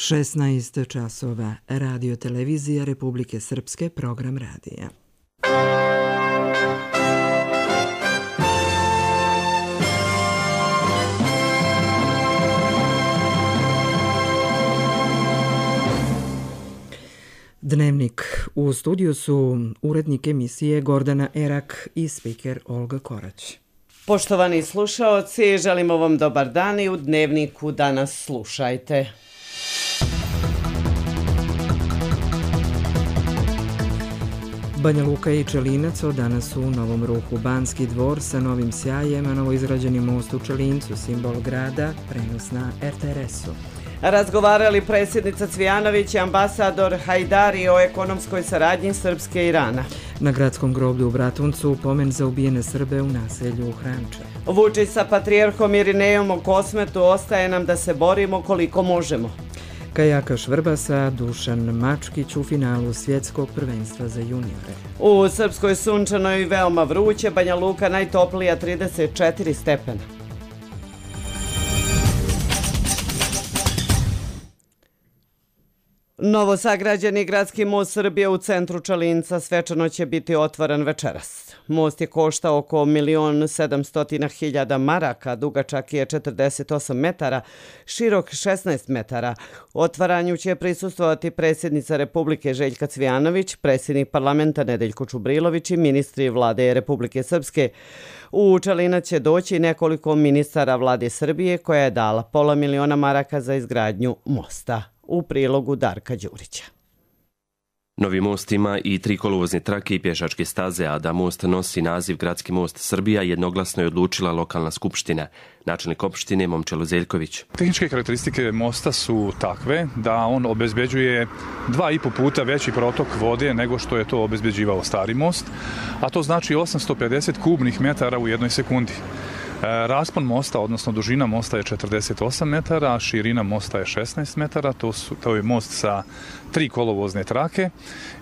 16 časova. Radio televizija Republike Srpske, program radija. Dnevnik. U studiju su urednik emisije Gordana Erak i spiker Olga Korać. Poštovani slušaoci, želimo vam dobar dan i u Dnevniku danas slušajte. Banja Luka i Čelinac od danas u novom ruhu. Banski dvor sa novim sjajem, a novoizgrađeni most u Čelincu, simbol grada, prenos na RTRS-u. Razgovarali predsjednica Cvijanović i ambasador Hajdari o ekonomskoj saradnji Srpske i Irana. Na gradskom groblju u Bratuncu pomen za ubijene Srbe u naselju Hranče. Vučić sa patrijarhom Irinejom o Kosmetu, ostaje nam da se borimo koliko možemo. Kajakaš Vrbasa Dušan Mačkić u finalu svjetskog prvenstva za juniore. U Srpskoj sunčano i veoma vruće, Banja Luka najtoplija 34 stepena. Novosagrađeni gradski most Srbije u centru Čelinca svečano će biti otvoren večeras. Most je koštao oko 1.700.000 maraka, dugačak je 48 metara, širok 16 metara. Otvaranju će prisustvovati predsjednica Republike Željka Cvijanović, predsjednik parlamenta Nedeljko Čubrilović i ministri vlade Republike Srpske. U Čelinac će doći nekoliko ministara vlade Srbije koja je dala $500.000 maraka za izgradnju mosta. U prilogu Darka Đurića. Novi most ima i 3 kolovozne trake i pješačke staze, a da most nosi naziv Gradski most Srbija jednoglasno je odlučila lokalna skupština. Načelnik opštine Momčilo Zeljković. Tehničke karakteristike mosta su takve da on obezbeđuje 2,5 puta veći protok vode nego što je to obezbeđivao stari most, a to znači 850 kubnih metara u jednoj sekundi. Raspon mosta, odnosno dužina mosta je 48 metara, a širina mosta je 16 metara. To je most sa 3 kolovozne trake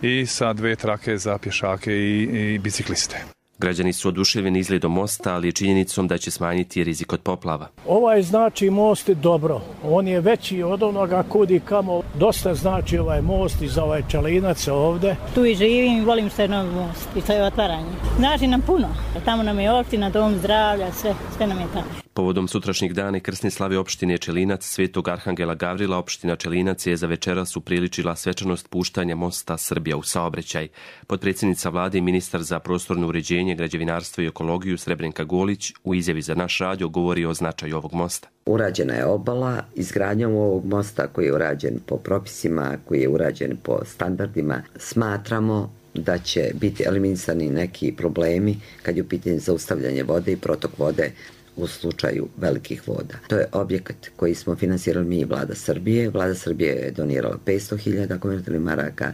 i sa 2 trake za pješake i bicikliste. Građani su oduševljeni izgledom mosta, ali i činjenicom da će smanjiti rizik od poplava. Ovaj znači most je dobro. On je veći od onoga kudi kamo. Dosta znači ovaj most i za ovaj Čelinac ovde. Tu i živim i volim se novi most i to je otvaranje. Znači nam puno. Tamo nam je opština, dom zdravlja, sve nam je tamo. Povodom sutrašnjeg dana i krsne slave opštine Čelinac, Svetog Arhangela Gavrila, opština Čelinac je za večeras upriličila svečanost puštanja mosta Srbija u saobraćaj. Potpredsjednica vlade i ministar za prostorno uređenje, građevinarstvo i ekologiju Srebrenka Golić u izjavi za naš radio govori o značaju ovog mosta. Urađena je obala, izgradnjom ovog mosta koji je urađen po propisima, koji je urađen po standardima. Smatramo da će biti eliminisani neki problemi kad je u pitanju zaustavljanje vode i protok vode u slučaju velikih voda. To je objekat koji smo finansirali mi i vlada Srbije. Vlada Srbije je donirala 500.000 konvertibilnih maraka,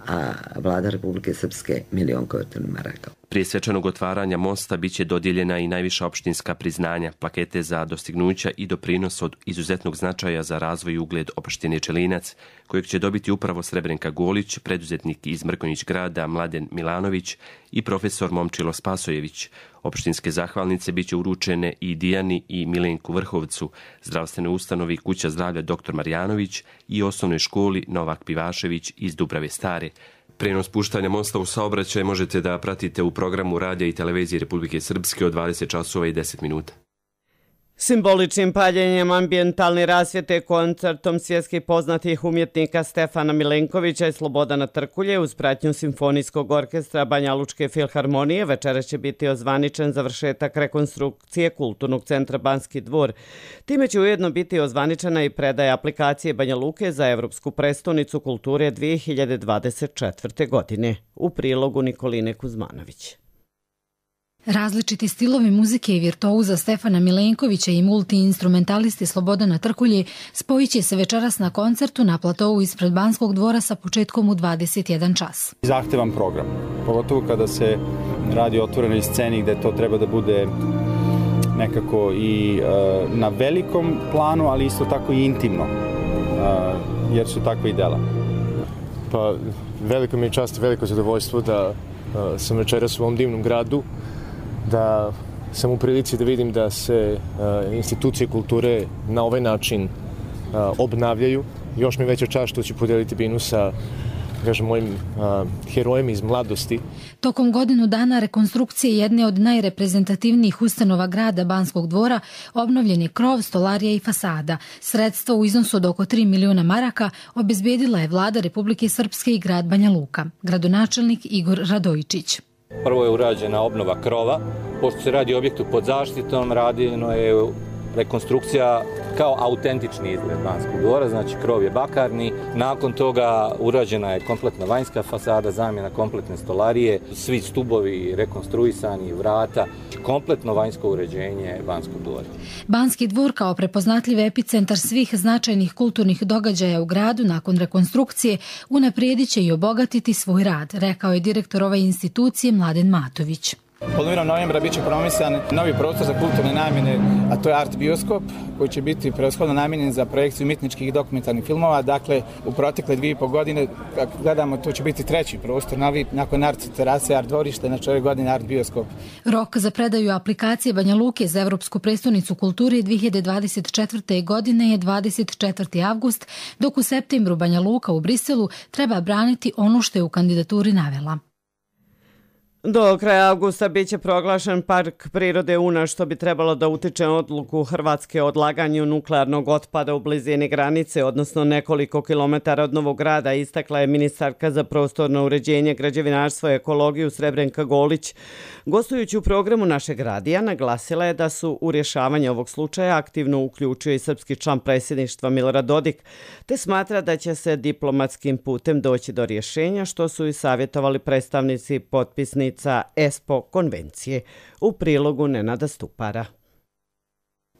a vlada Republike Srpske 1.000.000 konvertibilnih maraka. Prije svečanog otvaranja mosta biće dodijeljena i najviša opštinska priznanja, plakete za dostignuća i doprinos od izuzetnog značaja za razvoj i ugled opštine Čelinac, kojeg će dobiti upravo Srebrenka Golić, preduzetnik iz Mrkonjić grada Mladen Milanović i profesor Momčilo Spasojević. Opštinske zahvalnice biće uručene i Dijani i Milenku Vrhovcu, zdravstvenoj ustanovi Kuća zdravlja dr. Marjanović i osnovnoj školi Novak Pivašević iz Dubrave Stare. Prenos puštanja mosta u saobraćaj možete da pratite u programu radija i televizije Republike Srpske od 20 časova i 10 minuta. Simboličnim paljenjem ambijentalne rasvjete koncertom svjetskih poznatih umjetnika Stefana Milenkovića i Slobodana Trkulje uz pratnju Simfonijskog orkestra Banjalučke filharmonije večeras će biti ozvaničen završetak rekonstrukcije Kulturnog centra Banski dvor. Time će ujedno biti ozvaničena i predaja aplikacije Banja Luke za Evropsku prestonicu kulture 2024. godine. U prilogu Nikoline Kuzmanović. Različiti stilovi muzike i virtuoza Stefana Milenkovića i multiinstrumentalisti Slobodana Trkulje spojit će se večeras na koncertu na platovu ispred Banskog dvora sa početkom u 21 čas. Zahtevan program, pogotovo kada se radi o otvorenoj sceni gde to treba da bude nekako i na velikom planu, ali isto tako i intimno, jer su takve i dela. Pa veliko mi je čast i veliko zadovoljstvo da sam večeras u ovom divnom gradu, da sam u prilici da vidim da se institucije kulture na ovaj način obnavljaju. Još mi veća čast što ću podeliti binu sa mojim herojima iz mladosti. Tokom godinu dana rekonstrukcije jedne od najreprezentativnijih ustanova grada Banskog dvora obnovljen je krov, stolarija i fasada. Sredstva u iznosu od oko 3 miliona maraka obezbedila je vlada Republike Srpske i grad Banja Luka. Gradonačelnik Igor Radojičić. Prvo je urađena obnova krova. Pošto se radi o objektu pod zaštitom, radino je rekonstrukcija kao autentični izgled Banskog dvora, znači krov je bakarni. Nakon toga urađena je kompletna vanjska fasada, zamjena kompletne stolarije, svi stubovi rekonstruisani, vrata, kompletno vanjsko uređenje Banskog dvora. Banski dvor kao prepoznatljiv epicentar svih značajnih kulturnih događaja u gradu nakon rekonstrukcije unaprijedit će i obogatiti svoj rad, rekao je direktor ove institucije Mladen Matović. Polovinom novembra bit će promisan novi prostor za kulturne namjene, a to je Art Bioskop, koji će biti prevashodno namijenjen za projekciju umjetničkih i dokumentarnih filmova. Dakle, u protekle 2,5 godine, kako gledamo, to će biti treći prostor, novi, nakon Art terase, Art dvorište, znači ove godine Art Bioskop. Rok za predaju aplikacije Banja Luke za Evropsku prestonicu kulture 2024. godine je 24. avgust, dok u septembru Banja Luka u Briselu treba braniti ono što je u kandidaturi navela. Do kraja avgusta biće proglašen Park prirode Una, što bi trebalo da utiče odluku Hrvatske o odlaganju nuklearnog otpada u blizini granice, odnosno nekoliko kilometara od Novog Grada, istakla je ministarka za prostorno uređenje, građevinarstvo i ekologiju Srebrenka Golić. Gostujući u programu našeg radija, naglasila je da su u rješavanje ovog slučaja aktivno uključio i srpski član predsjedništva Milorad Dodik, te smatra da će se diplomatskim putem doći do rješenja, što su i savjetovali predstavnici potpisnici ESPO konvencije. U prilogu Nenada Stupara.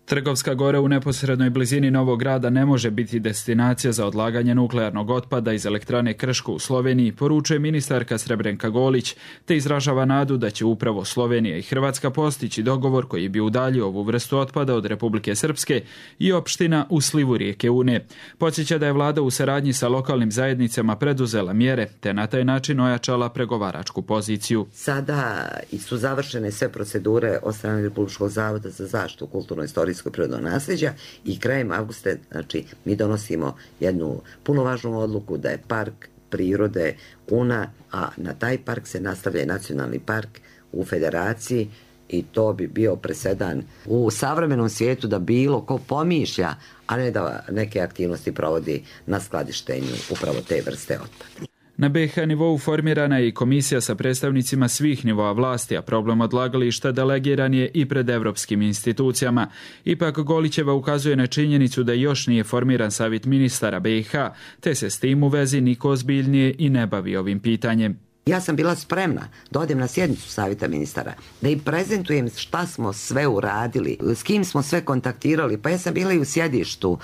Trgovska Gora u neposrednoj blizini Novog Grada ne može biti destinacija za odlaganje nuklearnog otpada iz elektrane Krško u Sloveniji, poručuje ministarka Srebrenka Golić, te izražava nadu da će upravo Slovenija i Hrvatska postići dogovor koji bi udaljio ovu vrstu otpada od Republike Srpske i opština u slivu rijeke Une. Podsjeća da je vlada u saradnji sa lokalnim zajednicama preduzela mjere, te na taj način ojačala pregovaračku poziciju. Sada su završene sve procedure od strane Republičkog zavoda za zaštitu kulturno-istorijskog prirodnog nasljeđa i krajem avgusta, znači, mi donosimo jednu puno važnu odluku da je park prirode Una, a na taj park se nastavlja i nacionalni park u federaciji i to bi bio presedan u savremenom svijetu da bilo ko pomišlja, a ne da neke aktivnosti provodi na skladištenju upravo te vrste otpada. Na BiH nivou formirana je i komisija sa predstavnicima svih nivoa vlasti, a problem odlagališta delegiran je i pred evropskim institucijama. Ipak Golićeva ukazuje na činjenicu da još nije formiran savjet ministara BiH, te se s tim u vezi niko ozbiljnije i ne bavi ovim pitanjem. Ja sam bila spremna da odem na sjednicu savjeta ministara, da im prezentujem šta smo sve uradili, s kim smo sve kontaktirali, pa ja sam bila i u sjedištu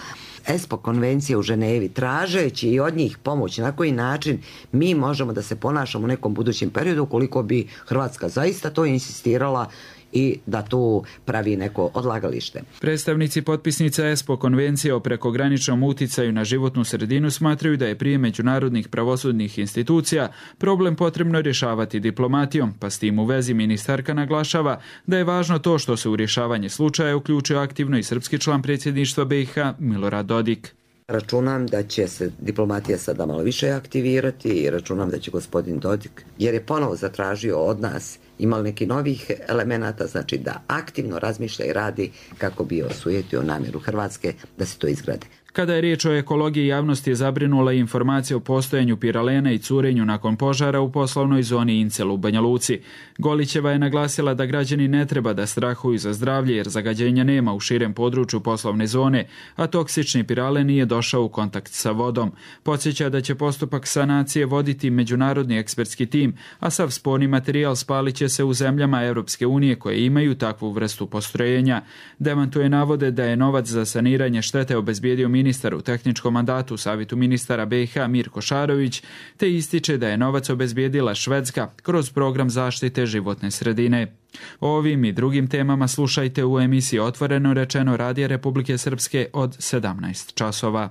ESPO konvencije u Ženevi, tražeći i od njih pomoć na koji način mi možemo da se ponašamo u nekom budućem periodu ukoliko bi Hrvatska zaista to insistirala i da tu pravi neko odlagalište. Predstavnici potpisnica ESPO konvencije o prekograničnom uticaju na životnu sredinu smatraju da je prije međunarodnih pravosudnih institucija problem potrebno rješavati diplomatijom, pa s tim u vezi ministarka naglašava da je važno to što se u rješavanje slučaja uključuje aktivno i srpski član predsjedništva BiH Milorad Dodik. Računam da će se diplomatija sada malo više aktivirati i računam da će gospodin Dodik, jer je ponovo zatražio od nas, imali neki novih elemenata, znači da aktivno razmišlja i radi kako bi osujetio namjeru Hrvatske da se to izgrade. Kada je riječ o ekologiji, javnost je zabrinula i informacija o postojanju piralena i curenju nakon požara u poslovnoj zoni Incel u Banja Luci. Golićeva je naglasila da građani ne treba da strahuju za zdravlje jer zagađenja nema u širem području poslovne zone, a toksični piralen nije došao u kontakt sa vodom. Podsjeća da će postupak sanacije voditi međunarodni ekspertski tim, a sav sporni materijal spalit će se u zemljama Europske unije koje imaju takvu vrstu postrojenja. Demantuje navode da je novac za saniranje štete obezbijedio ministar u tehničkom mandatu u Savjetu ministara BiH Mirko Šarović, te ističe da je novac obezbijedila Švedska kroz program zaštite životne sredine. O ovim i drugim temama slušajte u emisiji Otvoreno rečeno Radija Republike Srpske od 17 časova.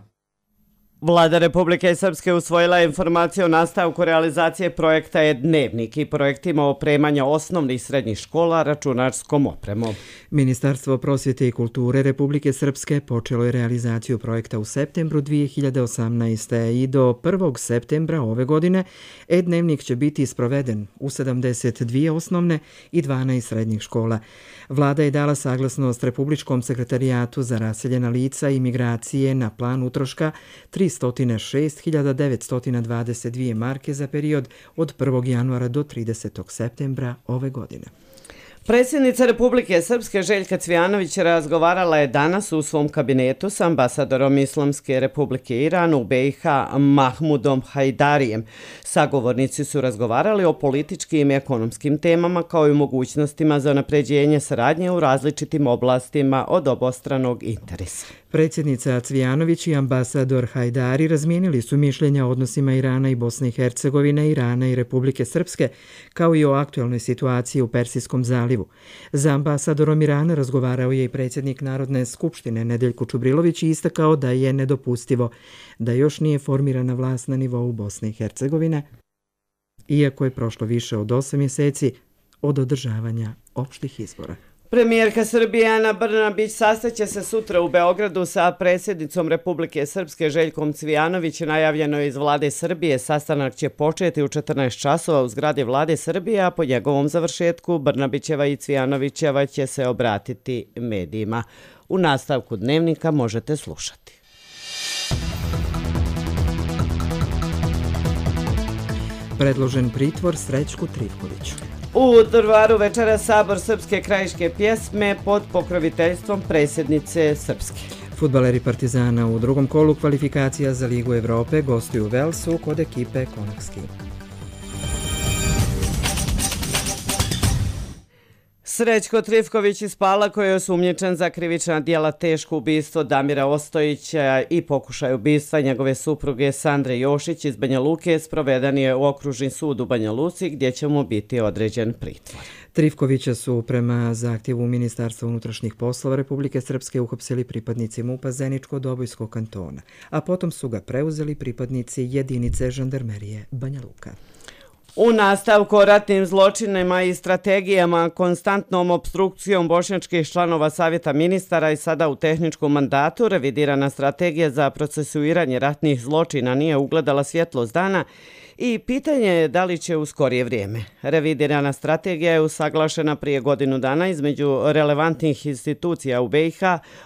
Vlada Republike Srpske usvojila je informaciju o nastavku realizacije projekta E-dnevnik i projektima opremanja osnovnih i srednjih škola računarskom opremom. Ministarstvo prosvjete i kulture Republike Srpske počelo je realizaciju projekta u septembru 2018. i do 1. septembra ove godine E-dnevnik će biti sproveden u 72 osnovne i 12 srednjih škola. Vlada je dala saglasnost Republičkom sekretarijatu za raseljena lica i migracije na plan utroška 306.922 marke za period od 1. januara do 30. septembra ove godine. Predsjednica Republike Srpske Željka Cvijanović razgovarala je danas u svom kabinetu s ambasadorom Islamske Republike Iran u BiH Mahmudom Hajdarijem. Sagovornici su razgovarali o političkim i ekonomskim temama kao i mogućnostima za unapređenje saradnje u različitim oblastima od obostranog interesa. Predsjednica Cvijanović i ambasador Hajdari razmijenili su mišljenja o odnosima Irana i Bosne i Hercegovine, Irana i Republike Srpske, kao i o aktualnoj situaciji u Persijskom zalivu. Za ambasadorom Irana razgovarao je i predsjednik Narodne skupštine Nedeljko Čubrilović i istakao da je nedopustivo da još nije formirana vlast na nivou Bosne i Hercegovine, iako je prošlo više od 8 mjeseci od održavanja opštih izbora. Premijerka Srbije Ana Brnabić sastaće se sutra u Beogradu sa predsjednicom Republike Srpske Željkom Cvijanović. Najavljeno je iz Vlade Srbije. Sastanak će početi u 14 časova u zgradi Vlade Srbije, a po njegovom završetku Brnabićeva i Cvijanovićeva će se obratiti medijima. U nastavku dnevnika možete slušati. Predložen pritvor Srećku Trivkoviću. U Drvaru večera sabor srpske krajiške pjesme pod pokroviteljstvom predsjednice Srpske. Fudbaleri Partizana u drugom kolu kvalifikacija za Ligu Evrope gostuju u Velsu kod ekipe Konakski. Srećko Trivković iz Pala, koji je osumnjičen za krivična djela teško ubistvo Damira Ostojića i pokušaj ubistva njegove supruge Sandre Jošić iz Banja Luke, sproveden je u okružni sud u Banja Luci gdje će mu biti određen pritvor. Trivkovića su prema zahtjevu Ministarstva unutrašnjih poslova Republike Srpske uhapsili pripadnici MUP-a Zeničko-Dobojskog kantona, a potom su ga preuzeli pripadnici jedinice žandarmerije Banja Luka. U nastavku o ratnim zločinima i strategijama, konstantnom opstrukcijom bošnjačkih članova Savjeta ministara i sada u tehničkom mandatu, revidirana strategija za procesuiranje ratnih zločina nije ugledala svjetlost dana i pitanje je da li će u skorije vrijeme. Revidirana strategija je usaglašena prije godinu dana između relevantnih institucija u BiH,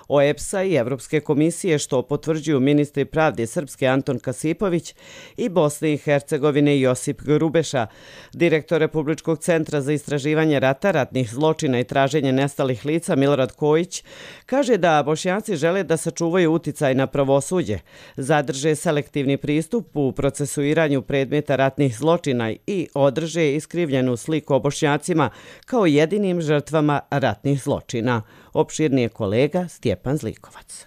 OEBS-a i Evropske komisije, što potvrđuju ministri pravde Srpske Anton Kasipović i Bosne i Hercegovine Josip Grubeša. Direktor Republičkog centra za istraživanje rata, ratnih zločina i traženje nestalih lica Milorad Kojić kaže da Bošnjaci žele da sačuvaju uticaj na pravosuđe, zadrže selektivni pristup u procesuiranju predmeta ratnih zločina i održe iskrivljenu sliku o Bošnjacima kao jedinim žrtvama ratnih zločina. Opširnije kolega Stjepan Zlikovac.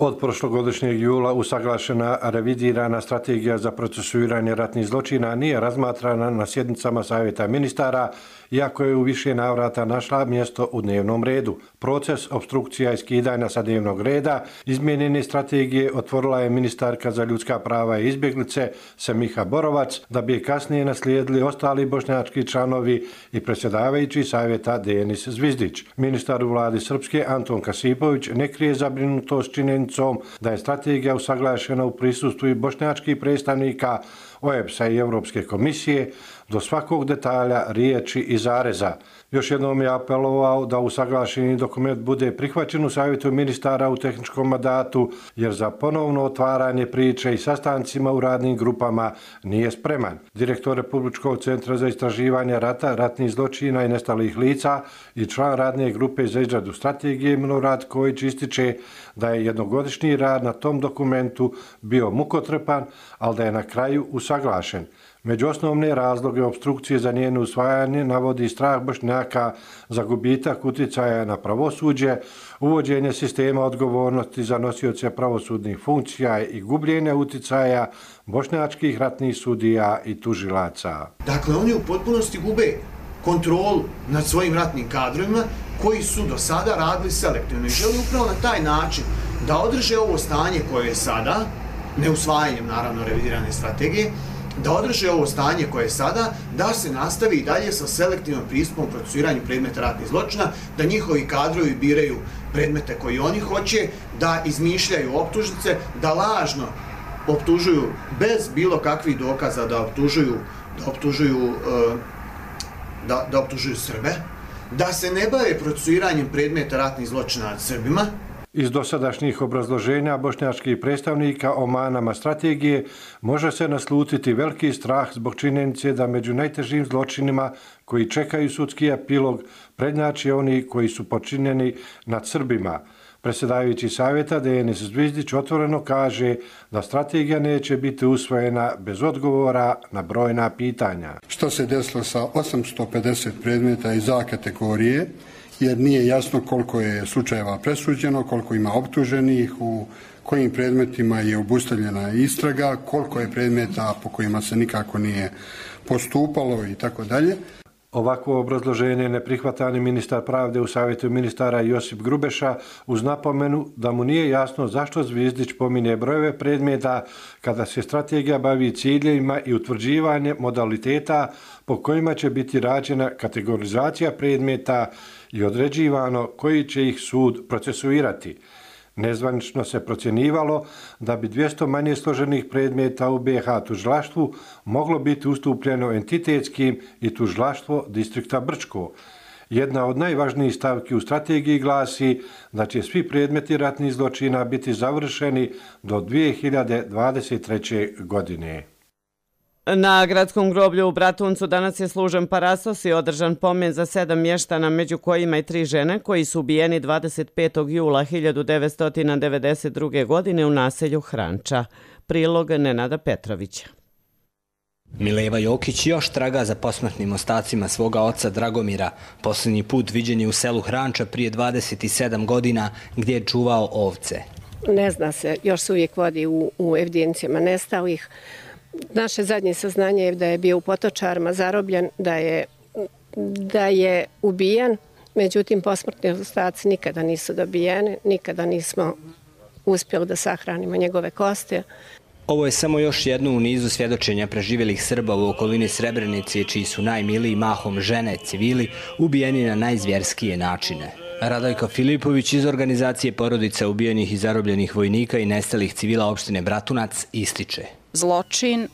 Od prošlogodišnjeg jula usaglašena revidirana strategija za procesuiranje ratnih zločina nije razmatrana na sjednicama Savjeta ministara, iako je u više navrata našla mjesto u dnevnom redu. Proces opstrukcija i skidanja sa dnevnog reda izmijenjene strategije otvorila je ministarka za ljudska prava i izbjeglice Semiha Borovac, da bi je kasnije naslijedili ostali bošnjački članovi i predsjedavajući Savjeta Denis Zvizdić. Ministar u vladi Srpske Anton Kasipović ne krije zabrinutost činjenicom da je strategija usaglašena u prisustvu i bošnjačkih predstavnika OEBS-a i Europske komisije do svakog detalja, riječi i zareza. Još jednom je apelovao da usaglašeni dokument bude prihvaćen u Savjetu ministara u tehničkom mandatu, jer za ponovno otvaranje priče i sastancima u radnim grupama nije spreman. Direktor Republičkog centra za istraživanje rata, ratnih zločina i nestalih lica i član radne grupe za izradu strategije Milorad Kojić ističe da je jednogodišnji rad na tom dokumentu bio mukotrpan, ali da je na kraju usaglašen. Među osnovne razloge opstrukcije za njeno usvajanje navodi strah Bošnjaka za gubitak uticaja na pravosuđe, uvođenje sistema odgovornosti za nosioce pravosudnih funkcija i gubljenje uticaja bošnjačkih ratnih sudija i tužilaca. Dakle, oni u potpunosti gube kontrolu nad svojim ratnim kadrovima koji su do sada radili selektivno i želi upravo na taj način da održe ovo stanje koje je sada neusvajanjem naravno revidirane strategije, da održe ovo stanje koje je sada, da se nastavi i dalje sa selektivnom pristupom procesuiranju predmeta ratnih zločina, da njihovi kadrovi biraju predmete koji oni hoće, da izmišljaju optužnice, da lažno optužuju bez bilo kakvih dokaza, da optužuju Srbe, da se ne bave procesuiranjem predmeta ratnih zločina nad Srbima. Iz dosadašnjih obrazloženja bošnjačkih predstavnika o manama strategije može se naslutiti veliki strah zbog činjenice da među najtežim zločinima koji čekaju sudski epilog prednjače oni koji su počinjeni nad Srbima. Predsjedavajući savjeta Denis Zvizdić otvoreno kaže da strategija neće biti usvojena bez odgovora na brojna pitanja. Što se desilo sa 850 predmeta iz A kategorije, jer nije jasno koliko je slučajeva presuđeno, koliko ima optuženih, u kojim predmetima je obustavljena istraga, koliko je predmeta po kojima se nikako nije postupalo i tako dalje. Ovakvo obrazloženje ne prihvata ni ministar pravde u savjetu ministara Josip Grubeša uz napomenu da mu nije jasno zašto Zvizdić pominje brojeve predmeta kada se strategija bavi ciljevima i utvrđivanje modaliteta po kojima će biti rađena kategorizacija predmeta i određivano koji će ih sud procesuirati. Nezvanično se procjenjivalo da bi 200 manje složenih predmeta u BiH tužilaštvu moglo biti ustupljeno entitetskim i tužilaštvo distrikta Brčko. Jedna od najvažnijih stavki u strategiji glasi da će svi predmeti ratnih zločina biti završeni do 2023. godine. Na gradskom groblju u Bratuncu danas je služen parasos i održan pomen za 7 mještana, među kojima i 3 žene koji su ubijeni 25. jula 1992. godine u naselju Hranča. Prilog Nenada Petrovića. Mileva Jokić još traga za posmrtnim ostacima svoga oca Dragomira. Posljednji put viđen je u selu Hranča prije 27 godina gdje je čuvao ovce. Ne zna se, još se uvijek vodi u evidencijama nestalih. Naše zadnje saznanje je da je bio u Potočarima zarobljen, da je ubijen, međutim posmrtni ostaci nikada nisu dobijeni, nikada nismo uspjeli da sahranimo njegove kosti. Ovo je samo još jedno u nizu svjedočenja preživjelih Srba u okolini Srebrenice, čiji su najmiliji mahom žene, civili, ubijeni na najzvjerskije načine. Radojka Filipović iz organizacije porodica ubijenih i zarobljenih vojnika i nestalih civila opštine Bratunac ističe. Zločin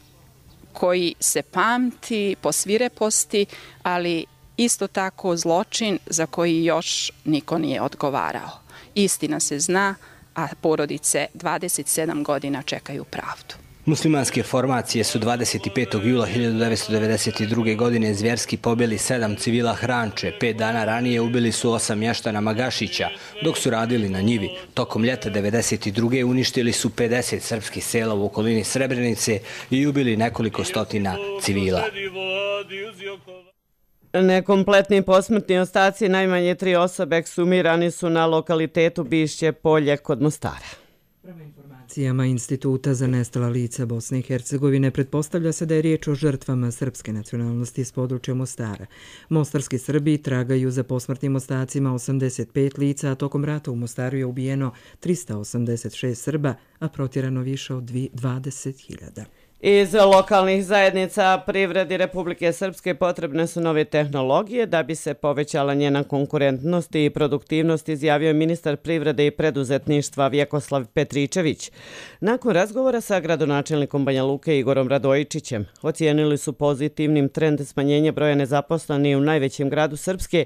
koji se pamti po svireposti, ali isto tako zločin za koji još niko nije odgovarao. Istina se zna, a porodice 27 godina čekaju pravdu. Muslimanske formacije su 25. jula 1992. godine zvjerski pobili 7 civila Hranče. 5 dana ranije ubili su 8 mještana Magašića, dok su radili na njivi. Tokom ljeta 1992. uništili su 50 srpskih sela u okolini Srebrenice i ubili nekoliko stotina civila. Nekompletni posmrtni ostaci najmanje 3 osobe eksumirani su na lokalitetu Bišće polje kod Mostara. Informacijama Instituta za nestala lica Bosne i Hercegovine pretpostavlja se da je riječ o žrtvama srpske nacionalnosti iz područja Mostara. Mostarski Srbi tragaju za posmrtnim ostacima 85 lica, a tokom rata u Mostaru je ubijeno 386 Srba, a protjerano više od 20.000. Iz lokalnih zajednica privredi Republike Srpske potrebne su nove tehnologije da bi se povećala njena konkurentnost i produktivnost, izjavio je ministar privrede i preduzetništva Vjekoslav Petričević. Nakon razgovora sa gradonačelnikom Banja Luke Igorom Radojičićem, ocijenili su pozitivnim trend smanjenja broja nezaposlenih u najvećem gradu Srpske,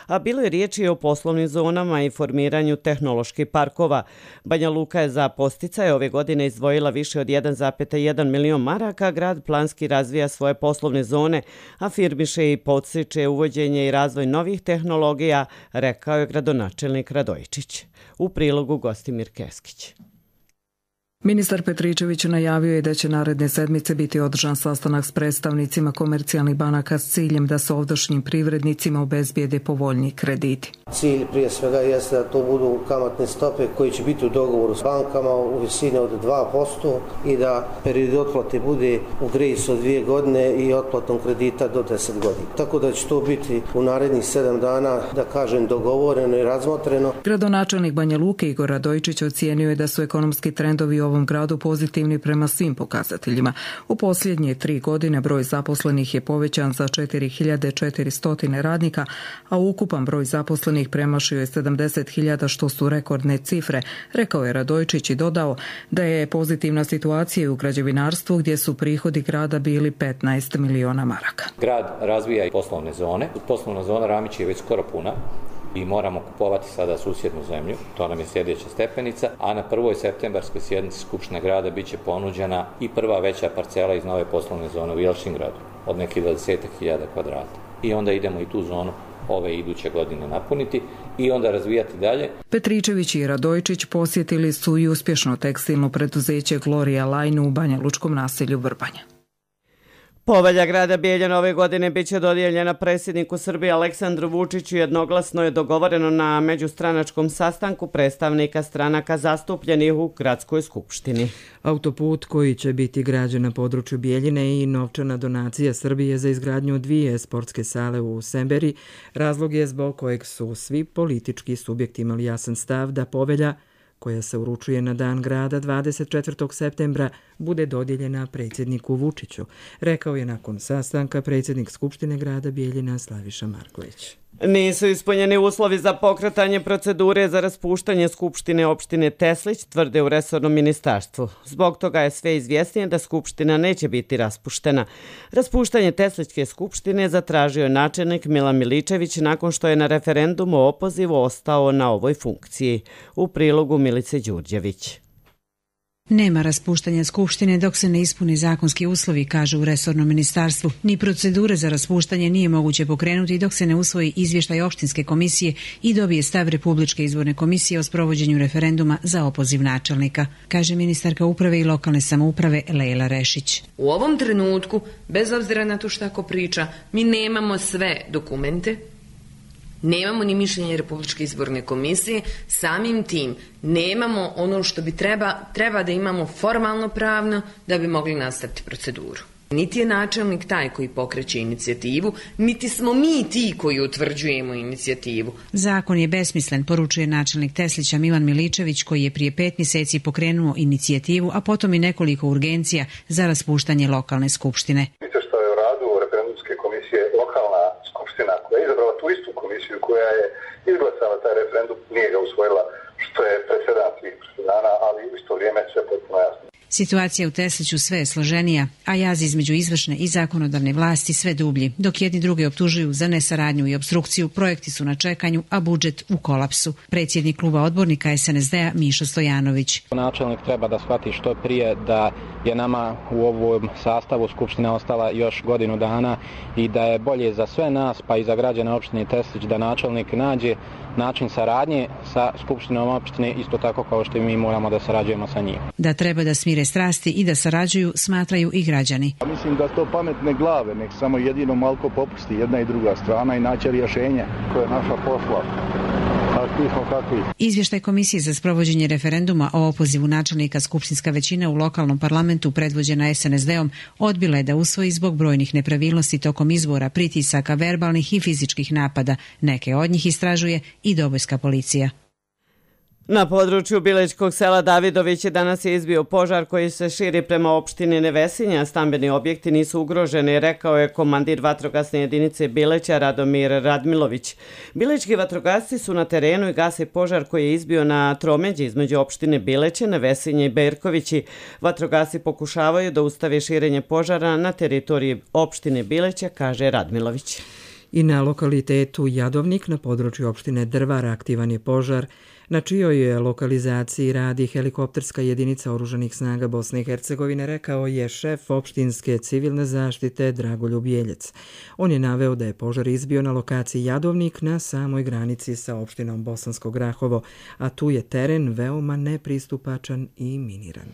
a bilo je riječi o poslovnim zonama i formiranju tehnoloških parkova. Banja Luka je za podsticaje ove godine izdvojila više od 1,1 milion maraka, grad planski razvija svoje poslovne zone, afirmiše i podstiče uvođenje i razvoj novih tehnologija, rekao je gradonačelnik Radojičić. U prilogu Gostimir Keskić. Ministar Petričević najavio je da će naredne sedmice biti održan sastanak s predstavnicima komercijalnih banaka s ciljem da se ovdašnjim privrednicima obezbijede povoljniji krediti. Cilj prije svega jeste da to budu kamatne stope koji će biti u dogovoru s bankama u visini od 2% i da period otplate bude u grejsu od 2 godine i otplatom kredita do 10 godina. Tako da će to biti u narednih 7 dana, da kažem, dogovoreno i razmotreno. Gradonačelnik Banja Luke Igor Radojičić ocijenio je da su ekonomski trendovi ovom gradu pozitivni prema svim pokazateljima. U posljednje 3 godine broj zaposlenih je povećan za 4400 radnika, a ukupan broj zaposlenih premašio je 70.000, što su rekordne cifre, rekao je Radojčić i dodao da je pozitivna situacija u građevinarstvu gdje su prihodi grada bili 15 miliona maraka. Grad razvija i poslovne zone. Poslovna zona Ramić je već skoro puna i moramo kupovati sada susjednu zemlju, to nam je sljedeća stepenica, a na 1. septembarskoj sjednici Skupštine grada bit će ponuđena i prva veća parcela iz nove poslovne zone u Jelšingradu, od nekih 20.000 kvadrata. I onda idemo i tu zonu ove iduće godine napuniti i onda razvijati dalje. Petričević i Radojčić posjetili su i uspješno tekstilno preduzeće Gloria Line u Banja Lučkom naselju Vrbanja. Povelja grada Bijeljina ove godine biće dodijeljena predsjedniku Srbije Aleksandru Vučiću. Jednoglasno je dogovoreno na međustranačkom sastanku predstavnika stranaka zastupljenih u gradskoj skupštini. Autoput koji će biti građen na području Bijeljine i novčana donacija Srbije za izgradnju 2 sportske sale u Semberi razlog je zbog kojeg su svi politički subjekti imali jasan stav da povelja koja se uručuje na dan grada 24. septembra, bude dodijeljena predsjedniku Vučiću, rekao je nakon sastanka predsjednik Skupštine grada Bijeljina Slaviša Marković. Nisu ispunjeni uslovi za pokretanje procedure za raspuštanje Skupštine opštine Teslić, tvrde u resornom ministarstvu. Zbog toga je sve izvjesnije da Skupština neće biti raspuštena. Raspuštanje Teslićke skupštine zatražio je načelnik Milan Miličević nakon što je na referendumu o opozivu ostao na ovoj funkciji. U prilogu Milice Đurđević. Nema raspuštanja Skupštine dok se ne ispuni zakonski uslovi, kaže u resornom ministarstvu. Ni procedure za raspuštanje nije moguće pokrenuti dok se ne usvoji izvještaj opštinske komisije i dobije stav Republičke izborne komisije o sprovođenju referenduma za opoziv načelnika, kaže ministarka uprave i lokalne samouprave Lejla Rešić. U ovom trenutku, bez obzira na to šta ko priča, mi nemamo sve dokumente, nemamo ni mišljenje Republičke izborne komisije, samim tim nemamo ono što bi treba da imamo formalno pravno da bi mogli nastaviti proceduru. Niti je načelnik taj koji pokreće inicijativu, niti smo mi ti koji utvrđujemo inicijativu. Zakon je besmislen, poručuje načelnik Teslića Milan Miličević, koji je prije 5 mjeseci pokrenuo inicijativu, a potom i nekoliko urgencija za raspuštanje lokalne skupštine. Što je u radu referendumske komisije lokalna skupština koja je izabrala tu istu komisiju koja je izglasala taj referendum, nije ga usvojila, što je presedan svih presedana, ali u isto vrijeme sve potpuno jasno. Situacija u Tesliću sve je složenija, a jaz između izvršne i zakonodavne vlasti sve dublji. Dok jedni druge optužuju za nesaradnju i obstrukciju, projekti su na čekanju, a budžet u kolapsu. Predsjednik kluba odbornika SNSD-a Mišo Stojanović. Načelnik treba da shvati što prije da je nama u ovom sastavu Skupština ostala još godinu dana i da je bolje za sve nas, pa i za građane opštine Teslić, da načelnik nađe način saradnje sa Skupštinom opštine, isto tako kao što i mi moramo da sarađujemo sa njim. Da treba da smire strasti i da sarađuju, smatraju i građani. Mislim da to pametne glave, nek samo jedino malko popusti jedna i druga strana i naći rješenje koje je naša posla. Izvještaj Komisije za sprovođenje referenduma o opozivu načelnika skupštinska većina u lokalnom parlamentu predvođena SNSD-om odbila je da usvoji zbog brojnih nepravilnosti tokom izbora, pritisaka, verbalnih i fizičkih napada. Neke od njih istražuje i Dobojska policija. Na području Bilećkog sela Davidović danas je izbio požar koji se širi prema opštini Nevesinja. Stambeni objekti nisu ugroženi, rekao je komandir vatrogasne jedinice Bileća Radomir Radmilović. Bilećki vatrogasci su na terenu i gase požar koji je izbio na tromeđi između opštine Bileće, Nevesinje i Berkovići. Vatrogasci pokušavaju da ustave širenje požara na teritoriji opštine Bileća, kaže Radmilović. I na lokalitetu Jadovnik na području opštine Drvar aktivan je požar na čijoj je lokalizaciji radi helikopterska jedinica oružanih snaga Bosne i Hercegovine, rekao je šef opštinske civilne zaštite Dragoljub Jeljec. On je naveo da je požar izbio na lokaciji Jadovnik na samoj granici sa opštinom Bosansko Grahovo, a tu je teren veoma nepristupačan i miniran.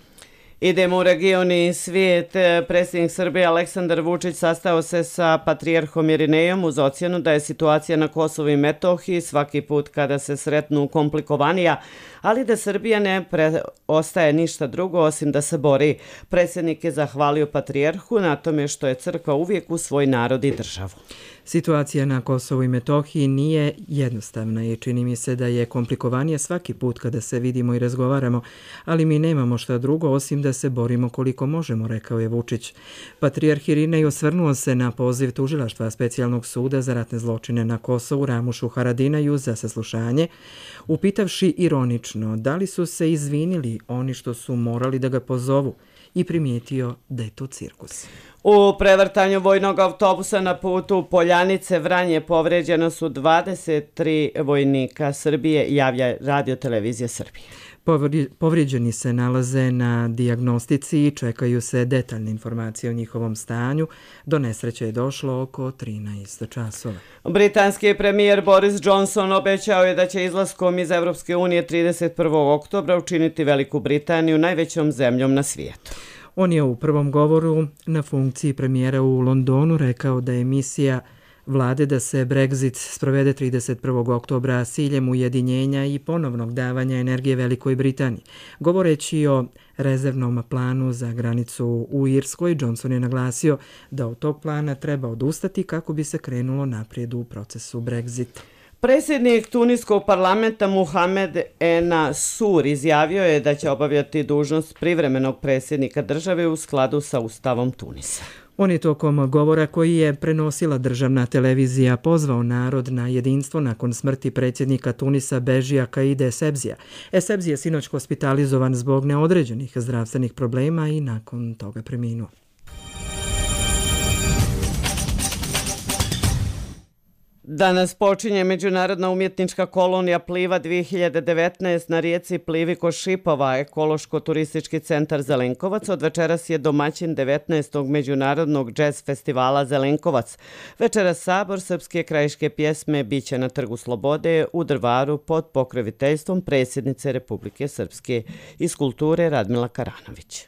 Idemo u region i svijet. Predsjednik Srbije Aleksandar Vučić sastao se sa patrijarhom Irinejom uz ocjenu da je situacija na Kosovu i Metohiji svaki put kada se sretnu komplikovanija, ali da Srbija ne preostaje ništa drugo osim da se bori. Predsjednik je zahvalio patrijarhu na tome što je crkva uvijek u svoj narod i državu. Situacija na Kosovu i Metohiji nije jednostavna i čini mi se da je komplikovanija svaki put kada se vidimo i razgovaramo, ali mi nemamo šta drugo osim da se borimo koliko možemo, rekao je Vučić. Patrijarh Irinej osvrnuo se na poziv tužilaštva Specijalnog suda za ratne zločine na Kosovu Ramušu Haradinaju za saslušanje, upitavši ironično da li su se izvinili oni što su morali da ga pozovu i primijetio da je to cirkus. U prevrtanju vojnog autobusa na putu Poljanice-Vranje povređena su 23 vojnika Srbije, javlja Radio-televizija Srbije. Povrijeđeni se nalaze na dijagnostici i čekaju se detaljne informacije o njihovom stanju. Do nesreće je došlo oko 13 časova. Britanski premijer Boris Johnson obećao je da će izlaskom iz Evropske unije 31. oktobra učiniti Veliku Britaniju najvećom zemljom na svijetu. On je u prvom govoru na funkciji premijera u Londonu rekao da je misija vlade da se Brexit sprovede 31. oktobra s ciljem ujedinjenja i ponovnog davanja energije Velikoj Britaniji. Govoreći o rezervnom planu za granicu u Irskoj, Johnson je naglasio da od tog plana treba odustati kako bi se krenulo naprijed u procesu Brexita. Predsjednik Tuniskog parlamenta Muhamed Ennasur izjavio je da će obavljati dužnost privremenog predsjednika države u skladu sa Ustavom Tunisa. On je tokom govora koji je prenosila državna televizija pozvao narod na jedinstvo nakon smrti predsjednika Tunisa Bežija Kaide Essebsija. Essebsi je sinoć hospitalizovan zbog neodređenih zdravstvenih problema i nakon toga preminuo. Danas počinje međunarodna umjetnička kolonija Pliva 2019 na rijeci Plivi kod Šipova. Ekološko-turistički centar Zelenkovac od večeras je domaćin 19. međunarodnog džez festivala Zelenkovac. Večeras sabor srpske krajiške pjesme biće na Trgu Slobode u Drvaru pod pokroviteljstvom predsjednice Republike Srpske iz kulture Radmila Karanović.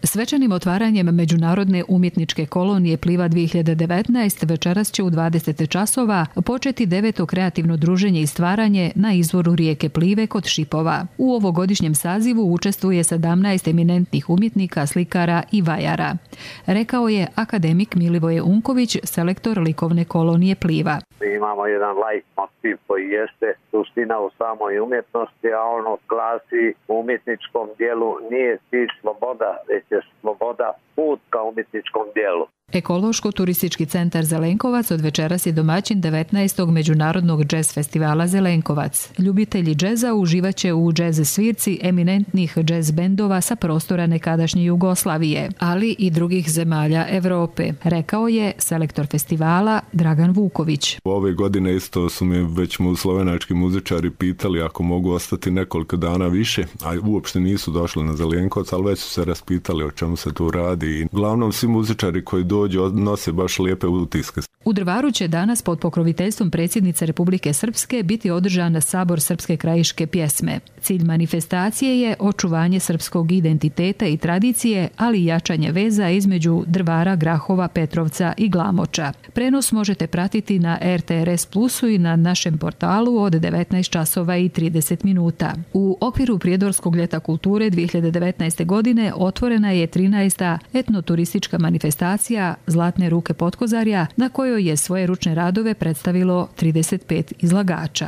Svečanim otvaranjem Međunarodne umjetničke kolonije Pliva 2019 večeras će u 20 časova početi 9. kreativno druženje i stvaranje na izvoru rijeke Plive kod Šipova. U ovogodišnjem sazivu učestvuje 17 eminentnih umjetnika, slikara i vajara, rekao je akademik Milivoje Unković, selektor likovne kolonije Pliva. Imamo jedan leitmotiv koji jeste suština u samoj umjetnosti, a ono glasi u umjetničkom dijelu nije cilj sloboda, već je sloboda put ka umjetničkom dijelu. Ekološko-turistički centar Zelenkovac od večeras je domaćin 19. međunarodnog džez festivala Zelenkovac. Ljubitelji džeza uživaće u džez svirci eminentnih džez bendova sa prostora nekadašnje Jugoslavije, ali i drugih zemalja Evrope, rekao je selektor festivala Dragan Vuković. Ove godine isto su mi već slovenački muzičari pitali ako mogu ostati nekoliko dana više, a uopšte nisu došli na Zelenkovac, ali već su se raspitali o čemu se tu radi. Uglavnom svi muzičari koji dođu nose baš lijepe utiske. U Drvaru će danas pod pokroviteljstvom predsjednice Republike Srpske biti održan sabor srpske krajiške pjesme. Cilj manifestacije je očuvanje srpskog identiteta i tradicije, ali i jačanje veza između Drvara, Grahova, Petrovca i Glamoča. Prenos možete pratiti na RTRS Plusu i na našem portalu od 19 časova i 30 minuta. U okviru Prijedorskog ljeta kulture 2019. godine otvorena je 13. etnoturistička manifestacija Zlatne ruke Potkozarja, na kojoj je svoje ručne radove predstavilo 35 izlagača.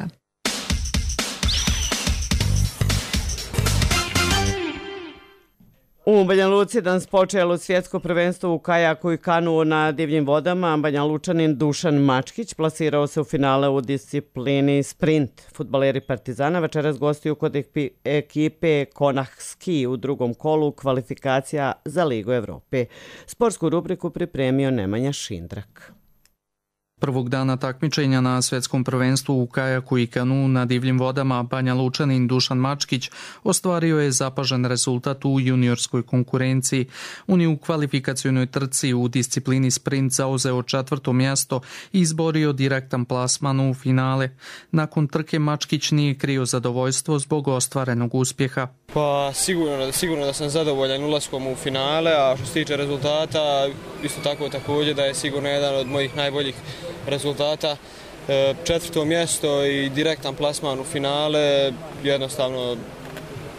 U Banja Luci danas počelo svjetsko prvenstvo u kajaku i kanu na divljim vodama. Banja Lučanin Dušan Mačkić plasirao se u finale u disciplini sprint. Fudbaleri Partizana večeras gostuju kod ekipe Konah Ski u drugom kolu kvalifikacija za Ligu Evrope. Sportsku rubriku pripremio Nemanja Šindrak. Prvog dana takmičenja na svjetskom prvenstvu u kajaku i kanu na divljim vodama Banja Lučanin Dušan Mačkić ostvario je zapažen rezultat u juniorskoj konkurenciji. On je u kvalifikacionoj trci u disciplini sprint zauzeo 4. mjesto i izborio direktan plasman u finale. Nakon trke Mačkić nije krio zadovoljstvo zbog ostvarenog uspjeha. Pa sigurno da sam zadovoljan ulaskom u finale, a što se tiče rezultata, isto tako također da je sigurno jedan od mojih najboljih rezultata. 4. mjesto i direktan plasman u finale, jednostavno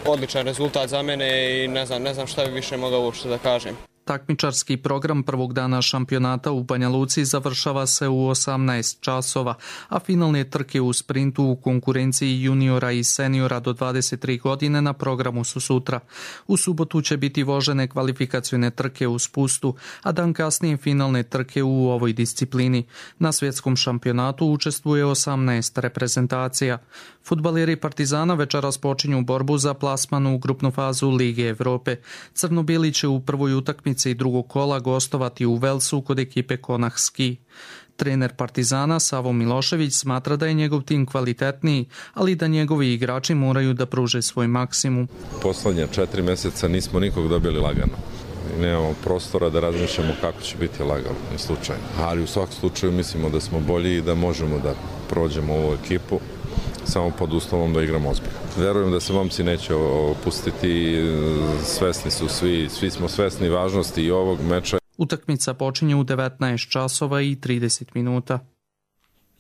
odličan rezultat za mene i ne znam šta bi više mogao uopšte da kažem. Takmičarski program prvog dana šampionata u Banja Luci završava se u 18 časova, a finalne trke u sprintu u konkurenciji juniora i seniora do 23 godine na programu su sutra. U subotu će biti vožene kvalifikacione trke u spustu, a dan kasnije finalne trke u ovoj disciplini. Na svjetskom šampionatu učestvuje 18 reprezentacija. Fudbaleri Partizana večeras počinju borbu za plasman u grupnu fazu Lige Evrope. Crno-bijeli će u prvoj utakmici drugog kola gostovati u Velsu kod ekipe Konah Ski. Trener Partizana Savo Milošević smatra da je njegov tim kvalitetniji, ali da njegovi igrači moraju da pruže svoj maksimum. Poslednja 4 mjeseca nismo nikog dobili lagano. Nemamo prostora da razmišljamo kako će biti lagano i slučajno. Ali u svakom slučaju mislimo da smo bolji i da možemo da prođemo ovu ekipu samo pod uslovom da igramo ozbiljno. Verujem da se momci neće opustiti, svesni su svi smo svesni važnosti i ovog meča. Utakmica počinje u 19 časova i 30 minuta.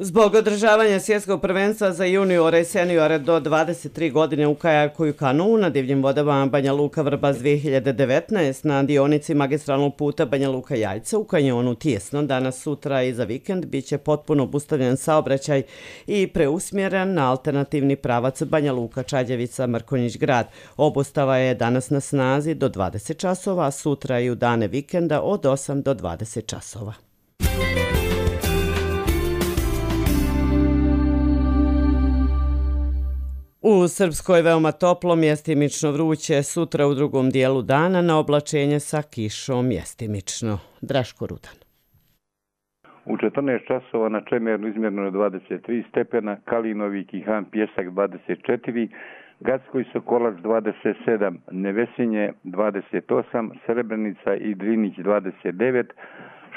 Zbog održavanja svjetskog prvenstva za juniore i seniore do 23 godine u kajaku i kanuu na divljim vodama Banja Luka Vrbas 2019 na dionici magistralnog puta Banja Luka Jajce u kanjonu Tijesno danas, sutra i za vikend biće potpuno obustavljen saobraćaj i preusmjeren na alternativni pravac Banja Luka Čađevica Mrkonjić grad. Obustava je danas na snazi do 20 časova, a sutra i u dane vikenda od 8 do 20 časova. U Srpskoj veoma toplo, mjestimično vruće, sutra u drugom dijelu dana na oblačenje sa kišom mjestimično. Draško Rudan. U 14 časova na Čemernu izmjereno je 23 stepena, Kalinovi, Kihan, Pjesak 24, Gacko i Sokolac 27, Nevesinje 28, Srebrenica i Drinić 29,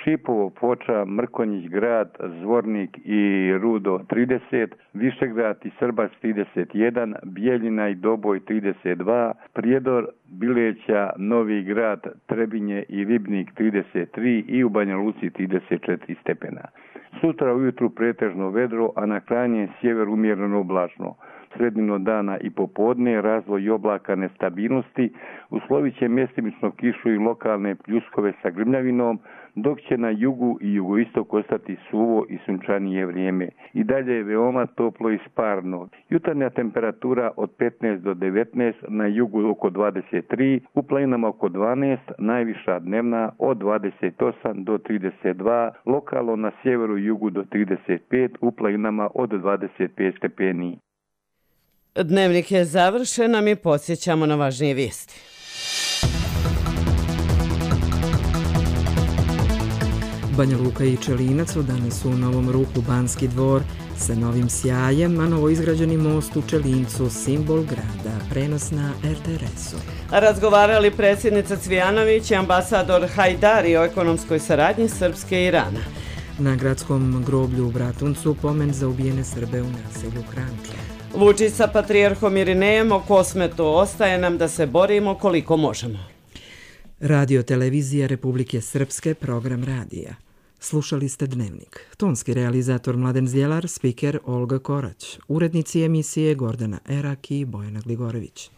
Šipovo, Ploča, Mrkonjić grad, Zvornik i Rudo 30, Višegrad i Srbac 31, Bijeljina i Doboj 32, Prijedor, Bileća, Novi grad, Trebinje i Ribnik 33 i u Banja Luci 34 stepena. Sutra ujutru pretežno vedro, a na krajnjem sjeveru umjereno oblačno. Sredino dana i popodne razvoj oblaka nestabilnosti, uslovit će mjestimično kišu i lokalne pljuskove sa grmljavinom, dok će na jugu i jugoistoku ostati suvo i sunčanije vrijeme. I dalje je veoma toplo i sparno. Jutarnja temperatura od 15 do 19, na jugu oko 23, u planinama oko 12, najviša dnevna od 28 do 32, lokalno na sjeveru i jugu do 35, u planinama od 25 stepeni. Dnevnik je završen, a mi podsjećamo na važnije vijesti. Banja Luka i Čelinac danas su u novom ruhu Banski dvor sa novim sjajem, a novoizgrađeni most u Čelincu simbol grada. Prenos na RTRS-u. Razgovarali predsjednica Cvijanović i ambasador Hajdari o ekonomskoj saradnji Srpske i Irana. Na gradskom groblju u Bratuncu pomen za ubijene Srbe u naselju Hranče. Vučić sa patrijarhom Irinejem o Kosmetu, ostaje nam da se borimo koliko možemo. Radio televizija Republike Srpske, program radija. Slušali ste Dnevnik. Tonski realizator Mladen Zdjelar, spiker Olga Korać, urednici emisije Gordana Erak i Bojana Gligorević.